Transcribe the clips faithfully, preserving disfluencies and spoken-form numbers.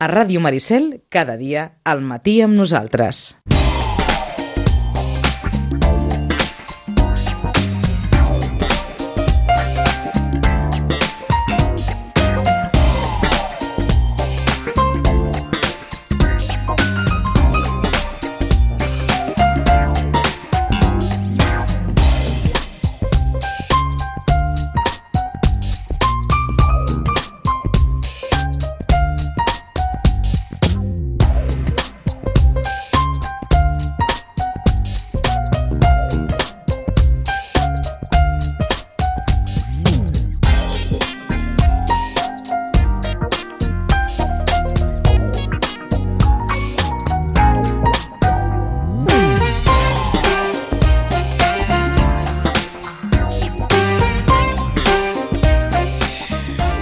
A Ràdio Maricel, cada dia, al matí amb nosaltres.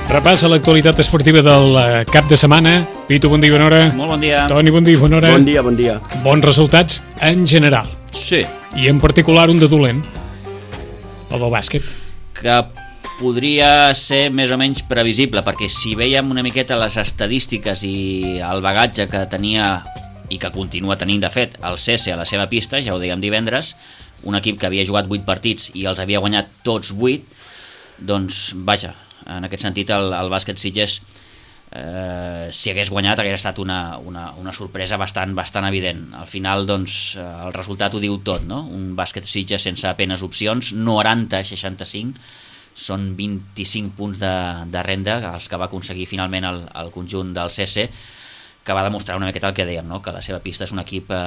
Repàs a l'actualitat esportiva del cap de setmana. Pitu, bon dia, bona hora. Molt bon dia. Toni, bon dia, bona hora. Bon dia, bon dia. Bons resultats en general. Sí. I en particular un de dolent, el del bàsquet. Que podria ser més o menys previsible, perquè si veiem una miqueta les estadístiques i el bagatge que tenia i que continua tenint, de fet, el C S a la seva pista, ja ho dèiem divendres, un equip que havia jugat vuit partits i els havia guanyat tots vuit, doncs, vaja, en aquest sentit el, el bàsquet Sitges eh, si hagués guanyat hagués estat una, una, una sorpresa bastant, bastant evident. Al final doncs el resultat ho diu tot, no? Un bàsquet Sitges sense apenes opcions, noranta a seixanta-cinc, són vint-i-cinc punts de, de renda els que va aconseguir finalment el, el conjunt del C S, que va demostrar una miqueta el que dèiem, no? Que la seva pista és un equip eh,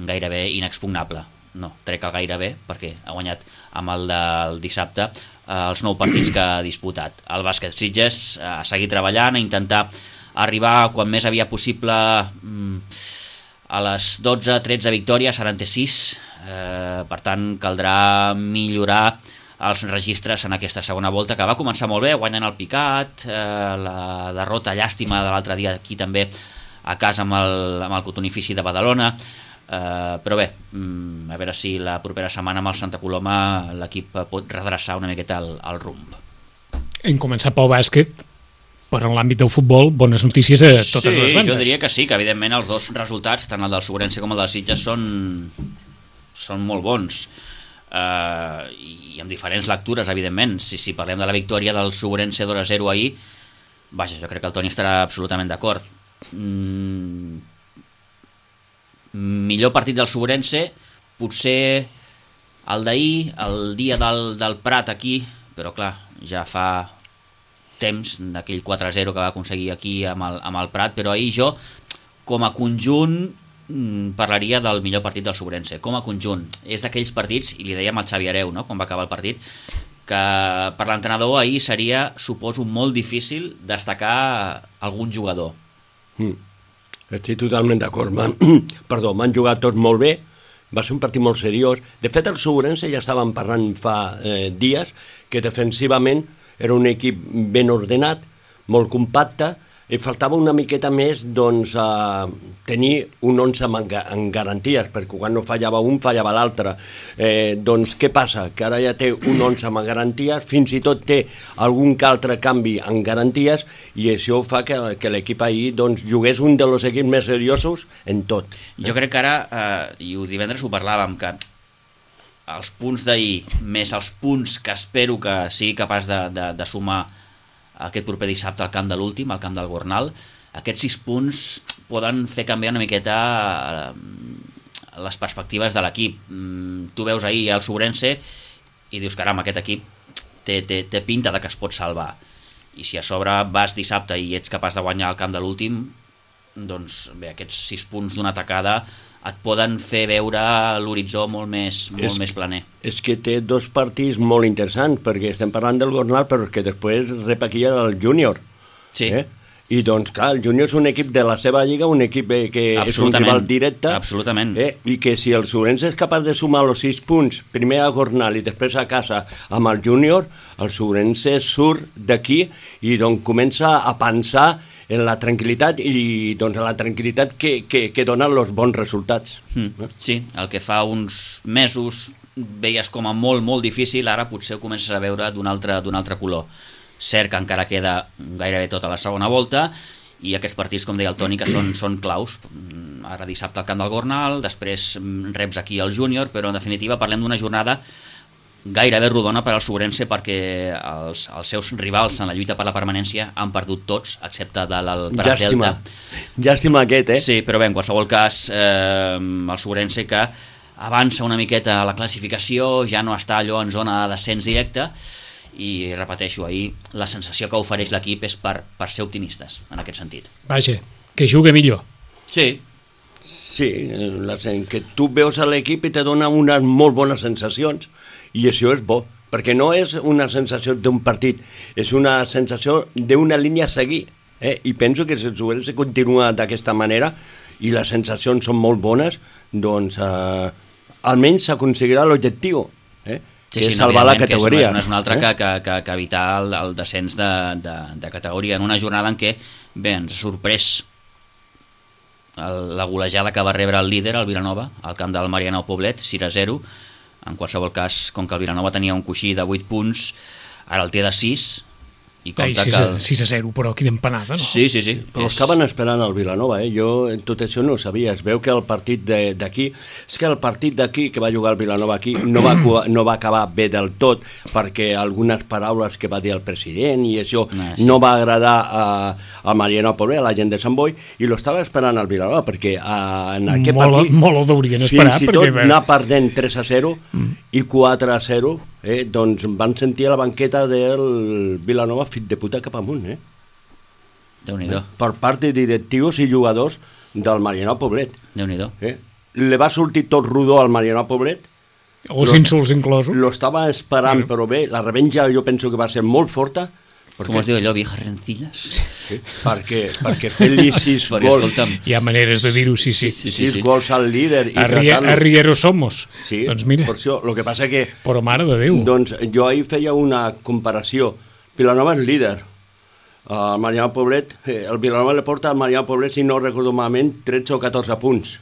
gairebé inexpugnable. No, trec el gairebé perquè ha guanyat amb el del dissabte eh, els nou partits que ha disputat. El bàsquet Sitges eh, ha seguit treballant, a intentar arribar quan més havia possible mm, a les dotze tretze victòries, ara en té sis, eh, per tant caldrà millorar els registres en aquesta segona volta, que va començar molt bé, guanyant el picat, eh, la derrota llàstima de l'altre dia aquí també a casa amb el, amb el Cotonifici de Badalona. Uh, però bé, um, a veure si la propera setmana amb el Santa Coloma l'equip pot redreçar una miqueta el, el rumb. Hem començat pel bàsquet, però en l'àmbit del futbol, bones notícies a totes sí, les bandes. Sí, jo diria que sí, que evidentment els dos resultats, tant el del Sobrense com el del Sitges, són, són molt bons. Uh, i amb diferents lectures, evidentment. Si, si parlem de la victòria del Sobrense dos a zero ahir, vaja, jo crec que el Toni estarà absolutament d'acord. Mm, millor partit del Sobrense, potser el d'ahir, el dia del, del Prat aquí, però clar, ja fa temps d'aquell quatre a zero que va aconseguir aquí amb el, amb el Prat, però ahir jo, com a conjunt, parlaria del millor partit del Sobrense, com a conjunt. És d'aquells partits, i li dèiem al Xavi Hereu, no?, quan va acabar el partit, que per l'entrenador ahir seria, suposo, molt difícil destacar algun jugador. Mm. Estic totalment d'acord. Man... Perdó, m'han jugat tots molt bé, va ser un partit molt seriós. De fet, el Sobrense ja estàvem parlant fa eh, dies que defensivament era un equip ben ordenat, molt compacte, i faltava una miqueta més doncs, a tenir un onze en, en garanties, perquè quan no fallava un, fallava l'altre. Eh, doncs què passa? Que ara ja té un onze en garanties, fins i tot té algun que altre canvi en garanties, i això fa que, que l'equip ahir doncs, jugués un dels equips més seriosos en tot. Jo crec que ara, eh, i divendres ho parlàvem, que els punts d'ahir, més els punts que espero que sigui capaç de, de, de sumar aquest proper dissabte al camp de l'últim, al camp del Gornal, aquests sis punts poden fer canviar una miqueta les perspectives de l'equip. Tu veus ahir el Sobrense i dius, caram, aquest equip té, té, té pinta de que es pot salvar. I si a sobre vas dissabte i ets capaç de guanyar al camp de l'últim, doncs bé, aquests sis punts d'una tacada et poden fer veure l'horitzó molt més, molt és, més planer. És que té dos partits molt interessants, perquè estem parlant del Gornal, però que després rep aquí el Júnior. Sí. Eh? I doncs, clar, el Júnior és un equip de la seva lliga, un equip que és un rival directe. Absolutament. Eh? I que si el Sobrense és capaç de sumar els sis punts, primer a Gornal i després a casa amb el Júnior, el Sobrense surt d'aquí i doncs comença a pensar en la tranquil·litat i doncs en la tranquil·litat que, que, que donen els bons resultats. Mm. Sí, el que fa uns mesos veies com a molt, molt difícil, ara potser ho comences a veure d'un altre, d'un altre color. Cert que encara queda gairebé tota la segona volta i aquests partits, com deia el Toni, que són, són claus. Ara dissabte al camp del Gornal, després reps aquí al Júnior, però en definitiva parlem d'una jornada gairebé rodona per al Sobrense, perquè els, els seus rivals en la lluita per la permanència han perdut tots, excepte de el Prat Delta. Llàstima aquest, eh? Sí, però bé, en qualsevol cas, eh, el Sobrense que avança una miqueta a la classificació, ja no està allò en zona de descens directe, i repeteixo, ahir la sensació que ofereix l'equip és per, per ser optimistes en aquest sentit. Vaja, que juga millor. Sí. Sí, la, que tu veus a l'equip i te dona unes molt bones sensacions, i això és bo, perquè no és una sensació d'un partit, és una sensació d'una línia a seguir, eh? I penso que si el Sobrense continua d'aquesta manera i les sensacions són molt bones, doncs eh, almenys s'aconseguirà l'objectiu, eh? Sí, que sí, és no, salvar la que categoria. És, no és una altra eh? que, que, que, que evitar el, el descens de, de, de categoria en una jornada en què, bé, ens ha sorprès el, la golejada que va rebre el líder, el Vilanova, al camp del Marianao Poblet, sis a zero. En qualsevol cas, com que el Vilanova tenia un coixí de vuit punts, ara el té de sis, i compta sis, que... El... sis a zero, però quina empanada, no? Sí, sí, sí. Però és... estaven esperant el Vilanova, eh? Jo tot això no ho sabia. Es veu que el partit d'aquí... És que el partit d'aquí, que va jugar el Vilanova aquí, no va, no va acabar bé del tot, perquè algunes paraules que va dir el president i això ah, sí. no va agradar a, a Mariano Poblet, a la gent de Sant Boi, i lo estava esperant el Vilanova, perquè a, en aquest molt, partit... Molt ho deurien esperar. Fins i perquè... tot anar perdent tres a zero mm. i quatre a zero, eh? Doncs van sentir a la banqueta del Vilanova fit de puta cap amunt, eh? Déu-n'hi-do. Per part de directius i jugadors del Marianao Poblet. Déu-n'hi-do. Eh? Le va sortir tot rodó al Marianao Poblet. Els insults inclosos. Lo estava esperant, però bé, la revenja jo penso que va ser molt forta. Perquè... Com es diu allò, viejas rencillas? Sí, perquè, perquè fer-li sis gols... Hi ha maneres de dir-ho, sí, sí. sí, sí, sis sí. gols al líder i tratar-lo... Arriero somos. Sí, doncs mira. Per això, el que passa que... Però mare de Déu. Doncs jo ahir feia una comparació. Vilanova és líder. El Marianao Poblet, eh, el Vilanova le porta al Marianao Poblet, si no recordo malament, tretze o catorze punts.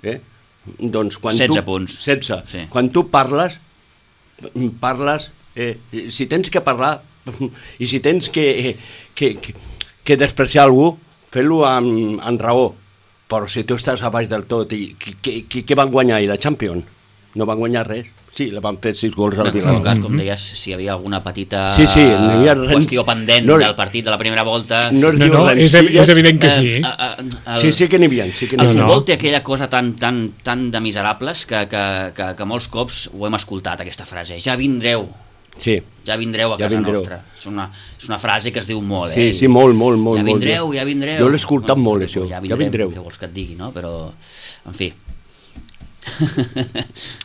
Eh? Doncs quan setze tu, punts. setze. Sí. Quan tu parles, parles, eh, si tens que parlar i si tens que, que, que, que despreciar algú, fes-lo amb, amb raó. Però si tu estàs a baix del tot, i què van guanyar ahir? La Champions? No van guanyar res. Sí, la van fer sis gols al Vilanova. En tot cas, com deies, si hi havia alguna petita sí, sí, no hi ha res... qüestió pendent no, del partit de la primera volta... No, no, no és, és evident que sí. Eh, eh, el, sí, sí que n'hi havia. Sí que el futbol no. té aquella cosa tan, tan, tan de miserables que, que, que, que molts cops ho hem escoltat, aquesta frase. Ja vindreu. Sí. Ja vindreu a ja casa vindreu. nostra. És una, és una frase que es diu molt, sí, eh? Sí, molt, molt, molt. Ja vindreu, molt. ja vindreu. Jo l'he escoltat bueno, molt, això. Ja vindreu, vindreu, ja vindreu. Què vols que et digui, no? Però, en fi...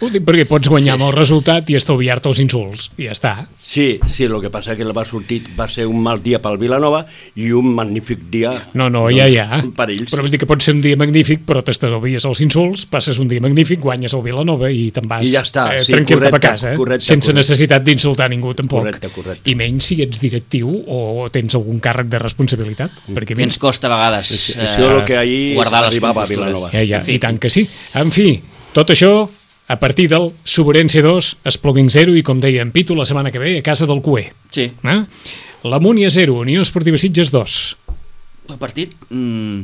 Ho dic perquè pots guanyar amb el resultat i estalviar-te els insults, i ja està. Sí, sí, el que passa que va sortir va ser un mal dia pel Vilanova i un magnífic dia no, no, ja, ja. per ells. Però vol dir que pot ser un dia magnífic, però t'estalvies els insults, passes un dia magnífic, guanyes el Vilanova i te'n vas I ja està, eh, sí, tranquil correcte, cap a casa, correcte, sense correcte. necessitat d'insultar ningú tampoc. Correcte, correcte. I menys si ets directiu o tens algun càrrec de responsabilitat. Mm. Perquè, que ens costa a vegades sí, eh, això és el que ahir guardar les arribava a compostures. Vilanova. Ja, ja, en fi. i tant que sí. En fi, tot això a partir del Sobrense dos, Espluguin zero i, com deia en Pitu, la setmana que ve a casa del Cué. Sí. Eh? La Múnia zero, Unió Esportiva Sitges dos. El partit... Mm,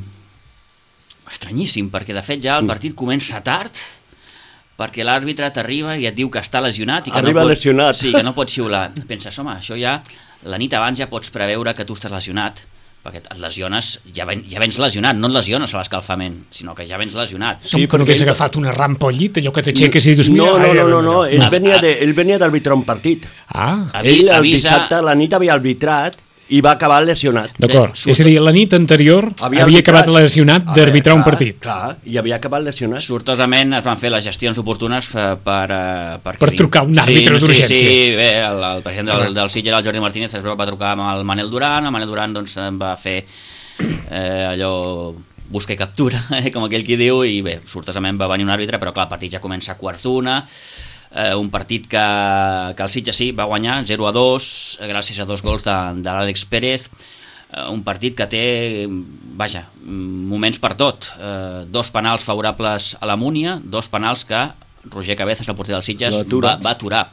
estranyíssim, perquè de fet ja el partit comença tard, perquè l'àrbitre t'arriba i et diu que està lesionat i que Arriba no pot, lesionat. sí, que no pot xiular. Penses, home, això ja la nit abans ja pots preveure que tu estàs lesionat, perquè et lesiones, ja, ven, ja vens lesionat, no et lesiones a l'escalfament, sinó que ja vens lesionat. Sí, que no hagués agafat una rampa al llit, allò que t'aixeques i dius... No, mira, no, no, no, no, no. ell venia de- ell venia d'arbitrar un partit. Ah, Avi- Ell el avisa- dissabte a la nit havia arbitrat i va acabar lesionat. d'acord. Bé, És a dir, la nit anterior havia, havia acabat lesionat d'arbitrar un Clar, partit. Clar, i havia acabat lesionat. Sortosament es van fer les gestions oportunes per... Per, eh, per, Per trucar un àrbitre sí, d'urgència. Sí, sí, bé, el, el president del, del Sitges, el Jordi Martínez, es va trucar amb el Manel Duran, el Manel Duran doncs, em va fer eh, allò busca i captura, eh, com aquell qui diu, i bé, sortosament va venir un àrbitre, però clar, el partit ja comença a quarts d'una, eh, un partit que, que el Sitges sí va guanyar zero a dos, gràcies a dos gols de, de l'Àlex Pérez, eh, un partit que té, vaja, moments per tot, eh, dos penals favorables a la Múnia, dos penals que Roger Cabezas, el porter del Sitges, va, va aturar.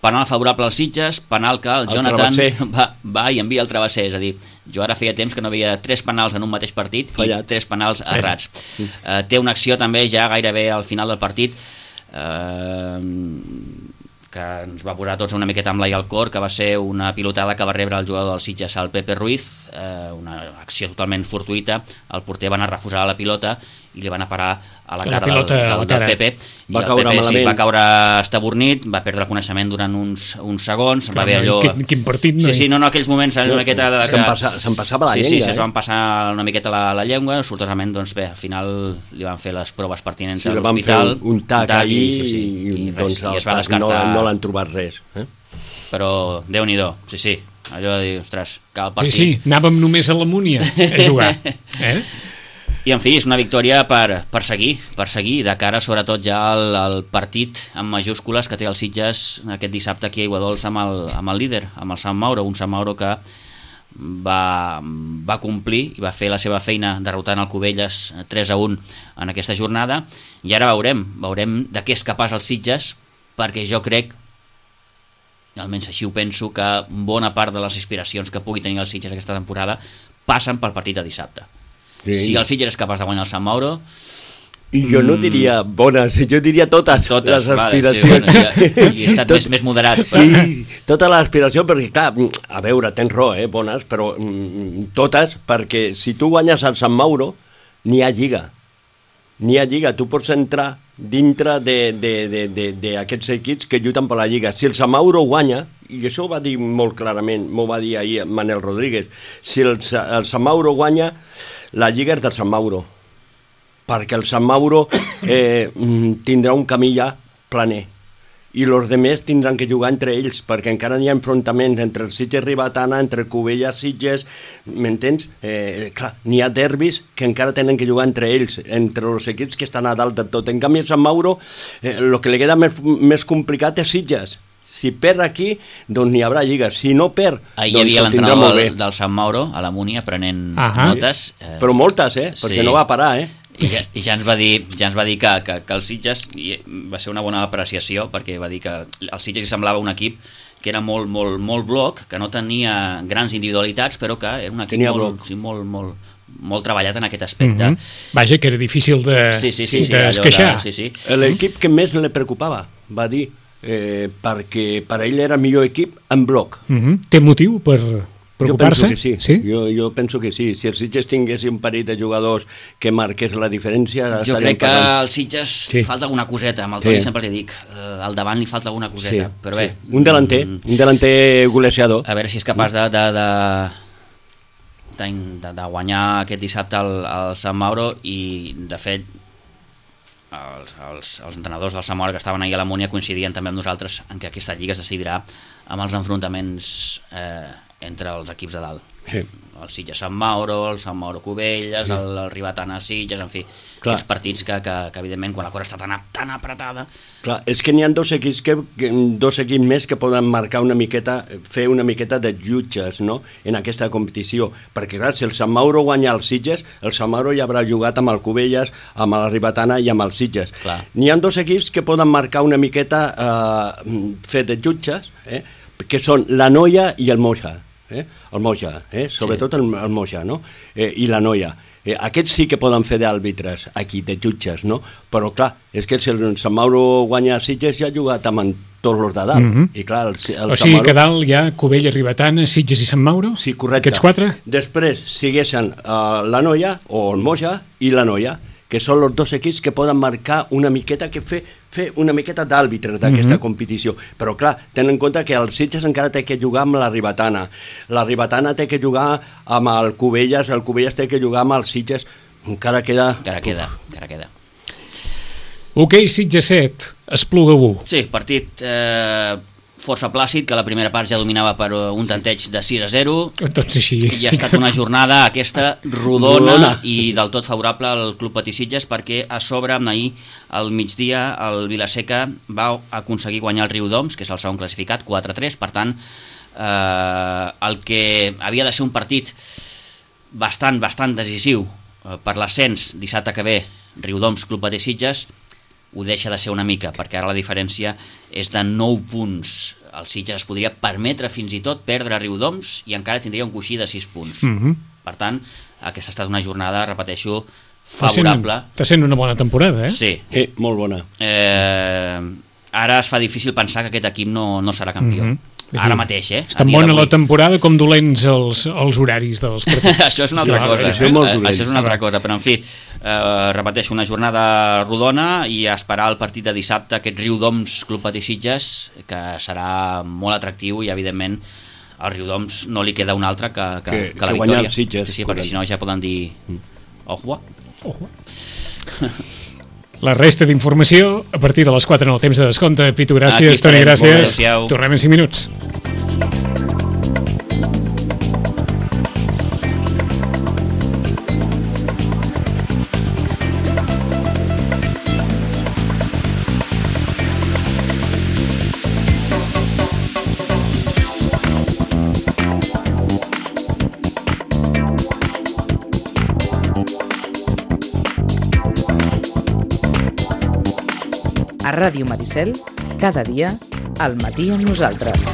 penal favorable als Sitges, penal que el, el Jonathan va, va i envia el travesser, és a dir, jo ara feia temps que no veia tres penals en un mateix partit Fallat. i tres penals errats. Sí. Uh, té una acció també ja gairebé al final del partit uh, que ens va posar tots una miqueta amb l'ai al cor, que va ser una pilotada que va rebre el jugador del Sitges, el Pepe Ruiz, eh, una acció totalment fortuïta, el porter va anar a refusar la pilota i li va anar a parar a la cara del, del, del Pepe, i va el caure Pepe sí, va caure estabornit, va perdre el coneixement durant uns, uns segons, Clar, va haver allò... Quin, quin partit, no? Sí, sí, no, no, aquells moments una miqueta... De que... Se'n passa, se passava la sí, llengua, sí, sí, eh? es van passar una miqueta la, la llengua, sortosament, doncs bé, al final li van fer les proves pertinents sí, a l'hospital. Un, un tac, un tac i, i, sí, sí, i, i, res, doncs, i es va descartar. No, no l'han trobat res. Eh? Però Déu-n'hi-do, sí, sí, allò de dir, ostres, cal partit. Sí, sí, anàvem només a la Múnia a jugar. Eh? I en fi, és una victòria per, per seguir, per seguir, de cara sobretot ja al, al partit amb majúscules que té el Sitges aquest dissabte aquí a Aiguadols amb el, amb el líder, amb el Sant Mauro, un Sant Mauro que va, va complir i va fer la seva feina derrotant el Cubelles tres a un en aquesta jornada, i ara veurem, veurem de què és capaç el Sitges, perquè jo crec, almenys així ho penso, que bona part de les aspiracions que pugui tenir el Sitges aquesta temporada passen pel partit de dissabte. Sí. Si el Sitges és capaç de guanyar el Sant Mauro... I jo no diria bones, jo diria totes, totes les aspiracions. Vale, sí, bueno, ja, i he estat Tot, més, més moderat. Sí, tota l'aspiració, perquè clar, a veure, tens raó, eh, bones, però mm, totes, perquè si tu guanyes el Sant Mauro, n'hi ha lliga. N'hi ha lliga, tu pots entrar dintre d'aquests equips que lluiten per la lliga. Si el Sant Mauro guanya, i això ho va dir molt clarament, m'ho va dir ahir Manel Rodríguez, si el, el Sant Mauro guanya, la lliga és del Sant Mauro, perquè el Sant Mauro eh, tindrà un camí ja planer, i els altres tindran que jugar entre ells, perquè encara n'hi ha enfrontaments entre el Sitges Ribetana, entre Cubelles, Sitges, m'entens? Eh, clar, n'hi ha derbis que encara tenen que jugar entre ells, entre els equips que estan a dalt de tot. En canvi, el Sant Mauro, eh, el que li queda més, més complicat és Sitges. Si perd aquí, doncs n'hi haurà lliga. Si no perd, ahir doncs hi havia l'entrenador del, del Sant Mauro a la Múnia prenent Ahà. notes. Eh, Però moltes, eh? Perquè sí. no va parar, eh? I ja, i ja ens va dir, ja ens va dir que, que, que el Sitges va ser una bona apreciació, perquè va dir que el Sitges semblava un equip que era molt, molt, molt bloc, que no tenia grans individualitats, però que era un equip molt, sí, molt, molt, molt treballat en aquest aspecte. Mm -hmm. Vaja, que era difícil de, sí, sí, sí, sí, d'esqueixar. Sí, sí. L'equip que més li preocupava, va dir, eh, perquè per ell era el millor equip en bloc. Mm -hmm. Té motiu per preocupar-se? Jo penso que sí, sí? Jo, jo penso que sí. Si el Sitges tingués un parell de jugadors que marqués la diferència... Jo crec que al Sitges sí. falta alguna coseta, amb el Toni sí. sempre li dic, eh, al davant li falta alguna coseta, sí, però bé... Sí. Un delanter, mm, un delanter golejador. A veure si és capaç de... de, de de, de guanyar aquest dissabte el, el Sant Mauro, i de fet els, els, els entrenadors del Sant Mauro que estaven ahir a la Múnia coincidien també amb nosaltres en que aquesta lliga es decidirà amb els enfrontaments eh, entre els equips de dalt. Sí. El Sitges Sant Mauro, el Sant Mauro Cubelles, sí. el, el Ribetana Sitges, en fi, Clar. els partits que, que, que evidentment quan la cosa està tan, tan apretada... Clar, és que n'hi ha dos equips, que, dos equips més que poden marcar una miqueta, fer una miqueta de jutges, no?, en aquesta competició, perquè clar, si el Sant Mauro guanya els Sitges, el Sant Mauro ja haurà jugat amb el Cubelles, amb la Ribetana i amb els Sitges. N'hi ha dos equips que poden marcar una miqueta, eh, fer de jutges, eh, que són la Noia i el Moja. Eh? El Moja, eh? sobretot sí. el, el Moja, no? Eh, i la Noia. Eh, aquests sí que poden fer d'àrbitres aquí, de jutges, no? Però clar, és que si el Sant Mauro guanya a Sitges ja ha jugat amb tots els de dalt. Mm -hmm. I clar, el, el o sigui Mauro... que dalt hi ha Cubelles, Ribetana, Sitges i Sant Mauro? Sí, correcte. Aquests quatre? Després siguessin uh, la Noia, o el Moja i la Noia, que són els dos equips que poden marcar una miqueta, que fer, fer una miqueta d'àrbitre d'aquesta mm -hmm. competició. Però clar, tenen en compte que el Sitges encara té que jugar amb la Ribetana, la Ribetana té que jugar amb el Cubelles, el Cubelles té que jugar amb el Sitges, encara queda... Encara queda, encara queda. Ok, Sitges set, Espluga u. Sí, partit eh, força plàcid, que la primera part ja dominava per un tanteig de sis a zero. Doncs així. I ha estat una jornada aquesta rodona, rodona. i del tot favorable al Club Patí Sitges, perquè a sobre, ahir al migdia, el Vilaseca va aconseguir guanyar el Riudoms, que és el segon classificat, quatre a tres. Per tant, eh, el que havia de ser un partit bastant, bastant decisiu eh, per l'ascens dissabte que ve, Riudoms Club Patí Sitges, ho deixa de ser una mica, perquè ara la diferència és de nou punts el Sitges es podria permetre fins i tot perdre a Riudoms i encara tindria un coixí de sis punts. Mm-hmm. Per tant, aquesta ha estat una jornada, repeteixo, favorable. Està sent una bona temporada, eh? Sí. Eh, molt bona. Eh, ara es fa difícil pensar que aquest equip no, no serà campió. Mm-hmm. Ara mateix, eh? És tan bona la temporada com dolents els, els horaris dels partits. Això és una altra Ja, cosa. això és Eh? molt dolent. Això és una altra cosa, però en fi, eh, repeteixo, una jornada rodona i esperar el partit de dissabte, aquest Riudoms Club Patí Sitges, que serà molt atractiu i, evidentment, al Riudoms no li queda un altre que, que, Que- que la que guanyar victòria. el Sitges, sí, sí, perquè correcte. si no ja poden dir ojo. Ojo. La resta d'informació a partir de les quatre en el temps de descompte. Pitu, Aquí gràcies. Toni, estarem, molt gràcies. gràcies. Tornem en cinc minuts. A Ràdio Maricel, cada dia, al matí amb nosaltres.